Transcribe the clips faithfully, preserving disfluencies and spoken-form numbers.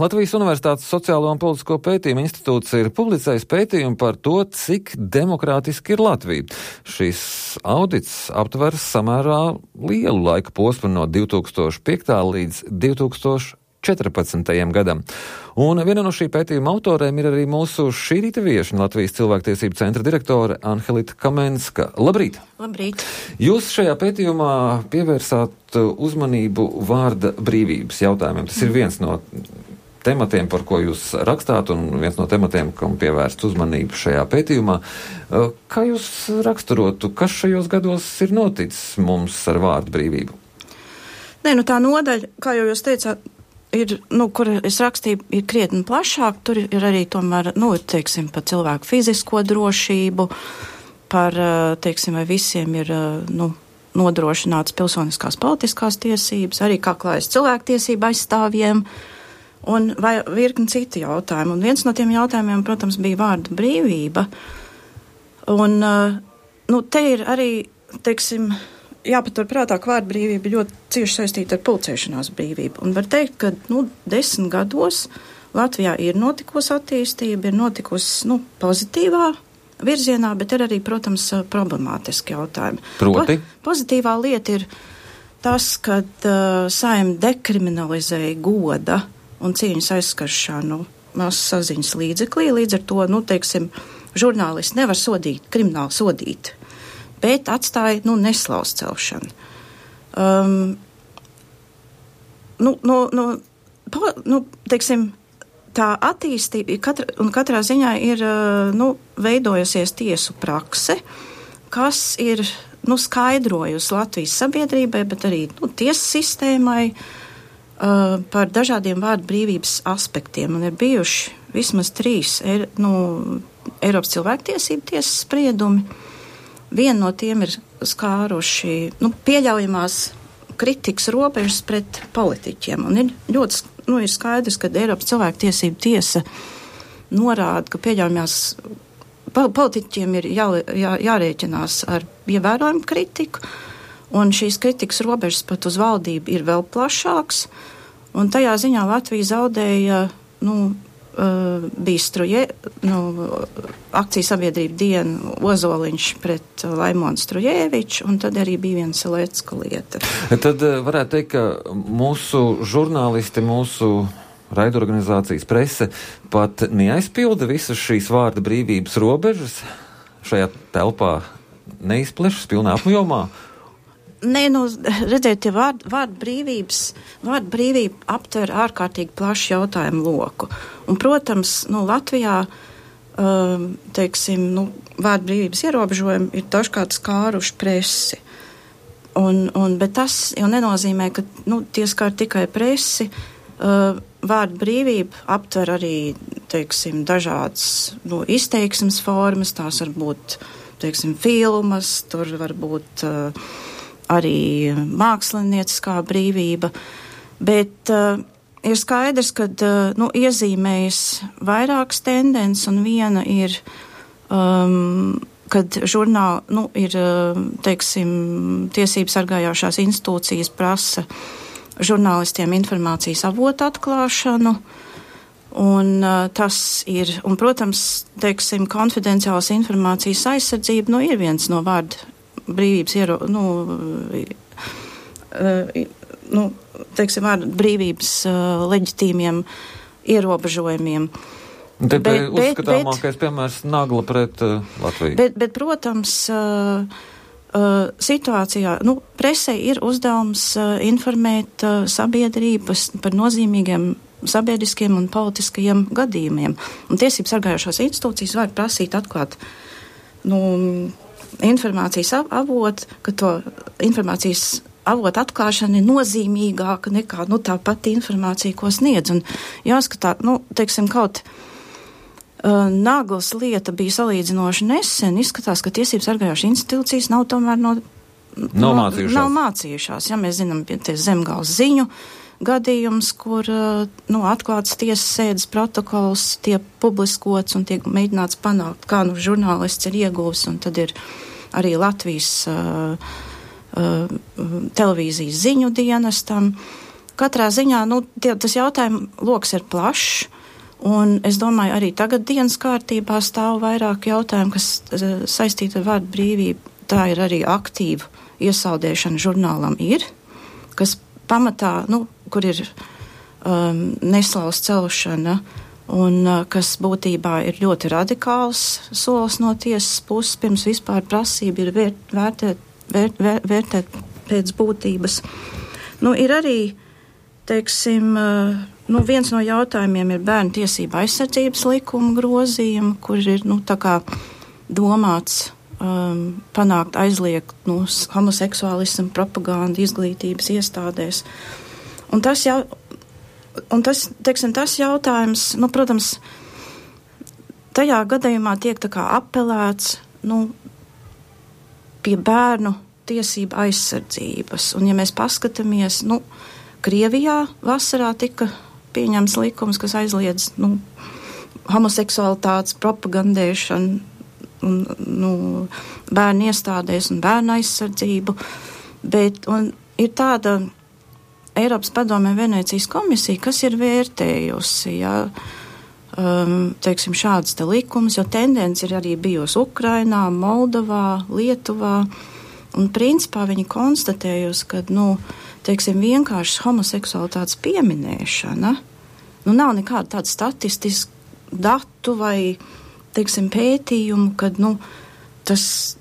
Latvijas Universitātes Sociālo un politisko pētījumu institūts ir publicējis pētījumu par to, cik demokrātiski ir Latvija. Šis audits aptver samērā lielu laika posmu no divi tūkstoši piektā līdz divi tūkstoši četrpadsmitajam gadam. Un viena no šī pētījuma autoriem ir arī mūsu šī rīta viešņa, Latvijas cilvēktiesību centra direktore Anhelita Kamenska. Labrīt! Labrīt! Jūs šajā pētījumā pievērsāt uzmanību vārda brīvības jautājumiem. Tas ir viens no tematiem, par ko jūs rakstāt, un viens no tematiem, kam pievērst uzmanību šajā pētījumā. Kā jūs raksturotu, kas šajos gados ir noticis mums ar vārdu brīvību? Nē, nu tā nodaļa, kā jau jūs teicāt, ir, nu, kur es rakstīju, ir krietni plašāk. Tur ir arī tomēr, nu, teiksim, par cilvēku fizisko drošību, par, teiksim, vai visiem ir, nu, nodrošināts pilsoniskās politiskās tiesības, arī kā klājas cilvēktiesība aizstāvjiem, un vai virkni citu jautājumu. Un viens no tiem jautājumiem, protams, bija vārda brīvība. Un, nu, te ir arī, teiksim, jāpatur prātā, ka vārda brīvība ļoti cieši saistīta ar pulcēšanās brīvību. Un var teikt, ka, nu, desmit gados Latvijā ir notikusi attīstība, ir notikusi, nu, pozitīvā virzienā, bet ir arī, protams, problemātiski jautājumi. Proti? Po, pozitīvā lieta ir tas, kad uh, Saeima dekriminalizēja goda un cieņas aizskaršanu masu saziņas līdzeklī. Līdz ar to, nu, teiksim, žurnālisti nevar sodīt, krimināli sodīt, bet atstāja, nu, neslauz celšanu. Um, nu, nu, nu, po, nu, teiksim, tā attīstība katra, un katrā ziņā ir, nu, veidojusies tiesu prakse, kas ir, nu, skaidrojusi Latvijas sabiedrībai, bet arī, nu, tiesu sistēmai, Uh, par dažādiem vārdu brīvības aspektiem, un ir bijuši vismaz trīs er, nu, Eiropas cilvēktiesību tiesas spriedumi. Viena no tiem ir skāruši, nu, pieļaujamās kritikas robežas pret politiķiem, un ir ļoti, nu, ir skaidrs, ka Eiropas cilvēktiesību tiesa norāda, ka pieļaujamās politiķiem ir jā, jā, jārēķinās ar ievērojumu kritiku, un šīs kritikas robežas pat uz valdību ir vēl plašāks, un tajā ziņā Latvija zaudēja, nu, uh, bija struje, nu, akciju sabiedrība diena Ozoliņš pret Laimonu Strujēviču, un tad arī bija viena Selecka lieta. Tad varētu teikt, ka mūsu žurnālisti, mūsu raidorganizācijas prese pat neaizpilda visas šīs vārda brīvības robežas, šajā telpā neizplešas pilnā apjomā. Nē, nu, redziet, ja vārdu vārd brīvības, vārdu brīvība aptver ārkārtīgi plašu jautājumu loku. Un, protams, nu, Latvijā, um, teiksim, nu, vārdu brīvības ierobežojumi ir dažkārt skāruši presi. Un, un, bet tas jau nenozīmē, ka, nu, tie skar tikai presi. Uh, vārdu brīvība aptver arī, teiksim, dažādas, nu, izteiksmes formas, tās var būt, teiksim, filmas, tur var būt uh, arī mākslinieciskā brīvība, bet uh, ir skaidrs, ka uh, nu, iezīmējas vairākas tendences, un viena ir, um, kad žurnāli, nu, ir, uh, teiksim, tiesības sargājošās institūcijas prasa žurnālistiem informācijas avotu atklāšanu, un uh, tas ir, un, protams, teiksim, konfidenciālas informācijas aizsardzība, nu, ir viens no vārdu brīvības, iero, nu, uh, nu, teiksim, vārdu brīvības uh, leģitīmiem ierobežojumiem. Te bet, uzskatāmākais piemērs Nagla pret uh, Latviju. Bet, bet protams, uh, uh, situācijā, nu, presē ir uzdevums uh, informēt uh, sabiedrības par nozīmīgiem sabiedriskiem un politiskajiem gadījumiem. Un tiesības sargājošās institūcijas var prasīt atklāt, nu, informācijas avotu, ka to informācijas avotu atklāšana ir nozīmīgāka nekā, nu, tā pati informācija, ko sniedz. Un jāskatā, nu, teiksim, kaut uh, Naglas lieta bija salīdzinoši nesen, izskatās, ka tiesības sargājošas institūcijas nav tomēr no, nav no, mācījušās. Nav mācījušās. Ja mēs zinām, tie Zemgales ziņu gadījums, kur, nu, atklāts tiesas sēdes protokols tiek publiskots un tiek mēģināts panākt, kā, nu, žurnālists ir ieguvis, un tad ir arī Latvijas uh, uh, televīzijas ziņu dienestam. katrā ziņā, nu, tie, tas jautājumu loks ir plašs, un es domāju, arī tagad dienas kārtībā stāv vairāk jautājumu, kas uh, saistīti ar vārdu brīvību. Tā ir arī aktīva iesaldēšana žurnālam ir, kas pamatā, nu, kur ir um, neslavas celšana, un uh, kas būtībā ir ļoti radikāls solis no tiesas puses, pirms vispār prasība ir vērt, vērtēt, vērt, vērt, vērtēt pēc būtības. Nu, ir arī, teiksim, uh, nu, viens no jautājumiem ir bērnu tiesība aizsardzības likuma grozījuma, kur ir, nu, tā kā domāts um, panākt aizliegt, nu, homoseksuālismu propagandu izglītības iestādēs. Un tas jau Un tas, teiksim, tas jautājums, nu, protams, tajā gadījumā tiek tā kā apelēts, nu, pie bērnu tiesību aizsardzības. Un, ja mēs paskatāmies, nu, Krievijā vasarā tika pieņemts likums, kas aizliedz, nu, homoseksualitātes propagandēšanu, un, nu, bērnu iestādēs un bērnu aizsardzību, bet, un ir tāda Eiropas padomē Venēcijas komisija, kas ir vērtējusi, ja, um, teiksim, šādas te likumus, jo tendence ir arī bijusi Ukrainā, Moldovā, Lietuvā, un principā viņi konstatējusi, ka, nu, teiksim, vienkārši homoseksualitātes pieminēšana, nu, nav nekāda tāda statistiska datu vai, teiksim, pētījumu, kad, nu, tas,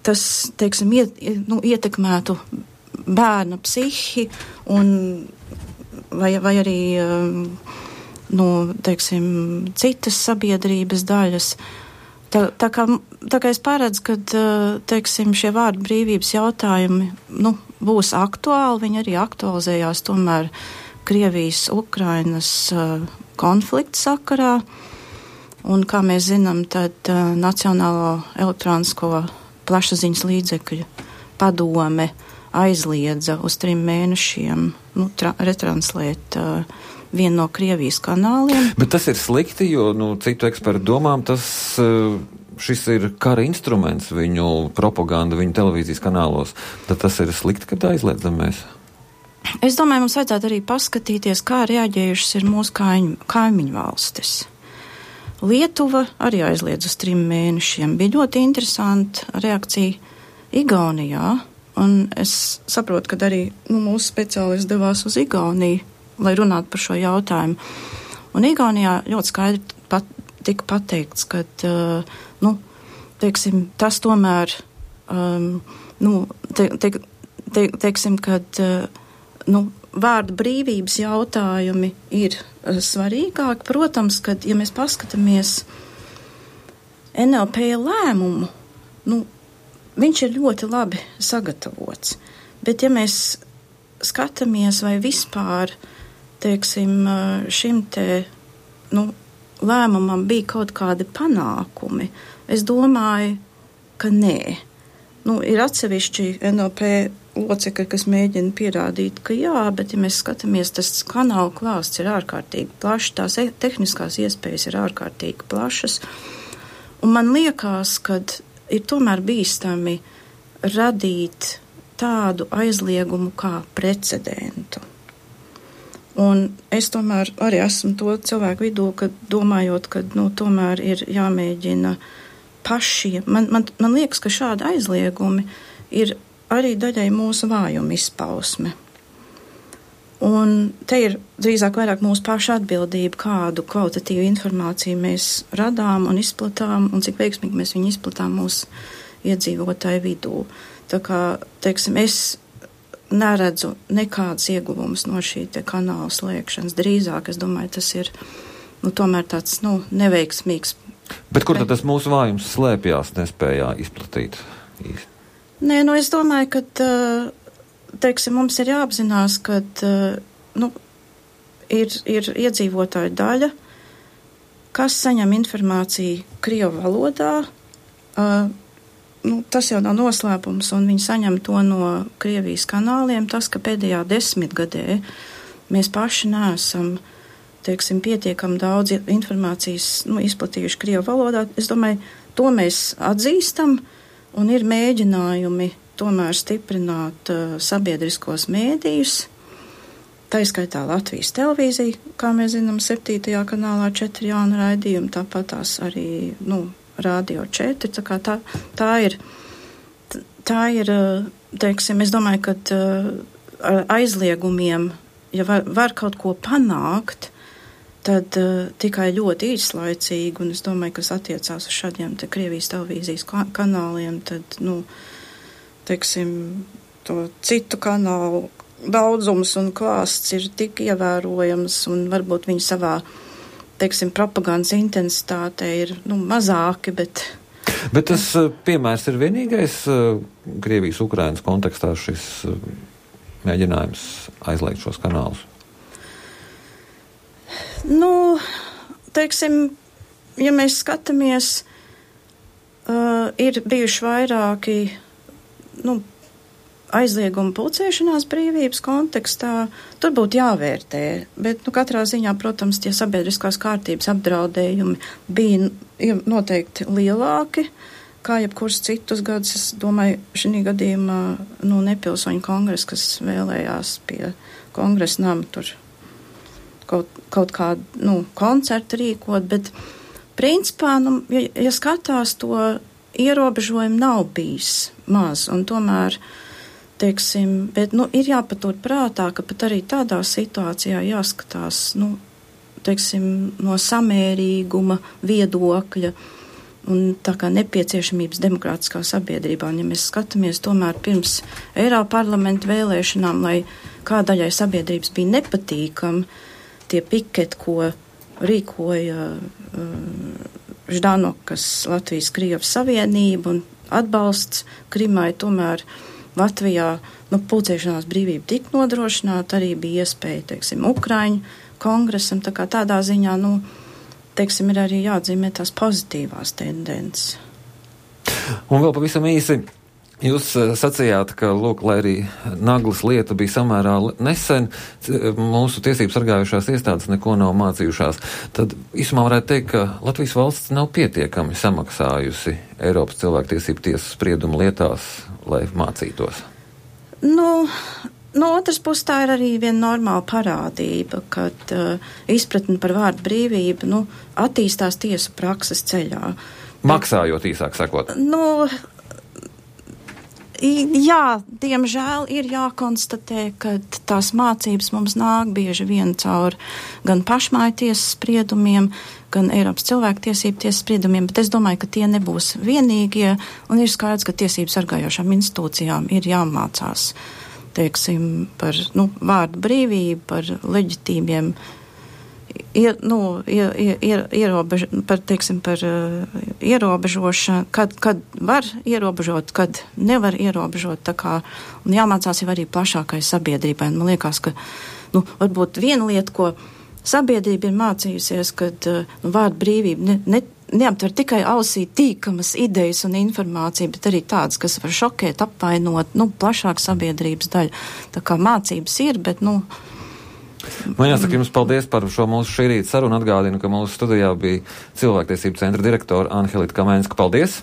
tas, teiksim, iet, nu, ietekmētu bērna psihi un vai, vai arī, nu, teiksim, citas sabiedrības daļas. Tā, tā, kā, tā kā es paredzu, ka, teiksim, šie vārdu brīvības jautājumi, nu, būs aktuāli, viņi arī aktualizējās tomēr Krievijas, Ukrainas konflikta sakarā. Un, kā mēs zinām, tad Nacionālo elektronisko plašsaziņas līdzekļu padome aizliedza uz trim mēnešiem, nu, tra- retranslēt uh, vienu no Krievijas kanāliem. Bet tas ir slikti, jo, nu, citu ekspertu domām, tas, uh, šis ir kara instruments viņu propaganda, viņu televīzijas kanālos. Tad tas ir slikti, kad aizliedzam mēs? Es domāju, mums vajadzētu arī paskatīties, kā reaģējušas ir mūsu kaimiņu, kaimiņu valstis. Lietuva arī aizliedz uz trim mēnešiem. Bija ļoti interesanta reakcija Igaunijā. Un es saprotu, ka arī, nu, mūsu speciālisti devās uz Igauniju, lai runātu par šo jautājumu. Un Igaunijā ļoti skaidri pat, tika pateikts, ka, uh, nu, teiksim, tas tomēr, um, nu, te, te, te, teiksim, ka, uh, nu, vārda brīvības jautājumi ir uh, svarīgāki. Protams, ka, ja mēs paskatāmies N L P lēmumu, nu, viņš ir ļoti labi sagatavots, bet ja mēs skatāmies vai vispār, teiksim, šim te, nu, lēmumam bija kaut kādi panākumi, es domāju, ka nē. Nu, ir atsevišķi N L P locekļi, kas mēģina pierādīt, ka jā, bet ja mēs skatāmies, tas kanāla klāsts ir ārkārtīgi plašs, tās tehniskās iespējas ir ārkārtīgi plašas, un man liekas, kad ir tomēr bīstami radīt tādu aizliegumu kā precedentu. Un es tomēr arī esmu to cilvēku vidū, ka domājot, ka, nu, tomēr ir jāmēģina pašiem. Man, man, man liekas, ka šādi aizliegumi ir arī daļai mūsu vājuma izpausme. Un te ir drīzāk vairāk mūsu paša atbildība, kādu kvalitatīvu informāciju mēs radām un izplatām, un cik veiksmīgi mēs viņu izplatām mūsu iedzīvotāju vidū. Tā kā, teiksim, es neredzu nekādas ieguvumus no šī te kanāla slēgšanas. Drīzāk, es domāju, tas ir, nu, tomēr tāds, nu, neveiksmīgs. Bet kur tad tas mūsu vājums slēpjās, nespējā izplatīt īsti? Nē, nu, es domāju, ka, uh, teiksim, mums ir jāapzinās, ka, nu, ir, ir iedzīvotāju daļa, kas saņem informāciju Krievu valodā. Uh, nu, tas jau nav noslēpums, un viņi saņem to no Krievijas kanāliem. Tas, ka pēdējā desmitgadē mēs paši neesam, teiksim, pietiekami daudz informācijas, nu, izplatījuši Krievu valodā, es domāju, to mēs atzīstam, un ir mēģinājumi tomēr stiprināt uh, sabiedriskos mēdījus, tā izskaitā Latvijas televīzija, kā mēs zinām, septītajā kanālā četri jauni raidījumi, tāpat tās arī, nu, Radio četri, tā kā tā, tā ir, tā ir, teiksim, es domāju, ka ar aizliegumiem, ja var, var kaut ko panākt, tad uh, tikai ļoti īslaicīgi, un es domāju, kas attiecās uz šādiem te Krievijas televīzijas kanāliem, tad, nu, teiksim, to citu kanālu daudzums un klāsts ir tik ievērojams, un varbūt viņi savā, teiksim, propagandas intensitāte ir, nu, mazāki, bet... Bet tas uh, piemērs ir vienīgais uh, Krievijas-Ukrainas kontekstā šis uh, mēģinājums aizliegt šos kanālus? Nu, teiksim, ja mēs skatāmies, uh, ir bijuši vairāki, nu, aizlieguma pulcēšanās brīvības kontekstā, tur būtu jāvērtē, bet, nu, katrā ziņā, protams, tie sabiedriskās kārtības apdraudējumi bija noteikti lielāki, kā jebkurus citus gadus. Es domāju, šī gadījumā, nu, nepilsoņu kongress, kas vēlējās pie kongresa nama tur kaut, kaut kādu, nu, koncertu rīkot, bet principā, nu, ja, ja skatās, to ierobežojumu nav bijis maz, un tomēr, teiksim, bet, nu, ir jāpatur prātā, ka pat arī tādā situācijā jāskatās, nu, teiksim, no samērīguma viedokļa un tā kā nepieciešamības demokrātiskā sabiedrībā. Un, ja mēs skatāmies tomēr pirms Eiroparlamenta vēlēšanām, lai kā daļai sabiedrības bija nepatīkami, tie piketi, ko rīkoja uh, Ždanokas Latvijas Krievas Savienība un atbalsts Krimai, tomēr Latvijā, nu, pulcēšanās brīvība tik nodrošināta, arī bija iespēja, teiksim, Ukraiņu kongresam, tā kā tādā ziņā, nu, teiksim, ir arī jāatzīmē tās pozitīvās tendences. Un vēl pavisam īsi. Jūs sacījāt, ka, lūk, lai arī Naglas lieta bija samērā nesen, mūsu tiesību sargājušās iestādes neko nav mācījušās. Tad īsumā varētu teikt, ka Latvijas valsts nav pietiekami samaksājusi Eiropas cilvēktiesību tiesas spriedumu lietās, lai mācītos. Nu, no otras puses tā ir arī viena normāla parādība, kad uh, izpratni par vārdu brīvību, nu, attīstās tiesu prakses ceļā. Maksājot, īsāk sakot. Nu, jā, diemžēl ir jākonstatē, ka tās mācības mums nāk bieži vien caur gan pašmāju tiesas spriedumiem, gan Eiropas cilvēktiesību tiesas spriedumiem, bet es domāju, ka tie nebūs vienīgie, un ir skaidrs, ka tiesību sargājošām institūcijām ir jāmācās, teiksim, par, nu, vārdu brīvību, par leģitīmiem, ir, nu, ir, ir, ierobež, par, teiksim, par uh, ierobežošanu, kad, kad var ierobežot, kad nevar ierobežot, tā kā, un jāmācās jau arī plašākai sabiedrībai. Man liekas, ka, nu, varbūt viena lieta, ko sabiedrība ir mācījusies, kad, uh, nu, vārdu brīvība ne, ne, neaptver tikai ausī tīkamas idejas un informācija, bet arī tādas, kas var šokēt, apvainot, nu, plašāk sabiedrības daļu. Tā kā mācības ir, bet, nu, Man jāsaka jums paldies par šo mūsu šī rīta sarunu. Atgādinu, ka mūsu studijā bija Cilvēktiesību centra direktora Anhelita Kamēnska. Paldies!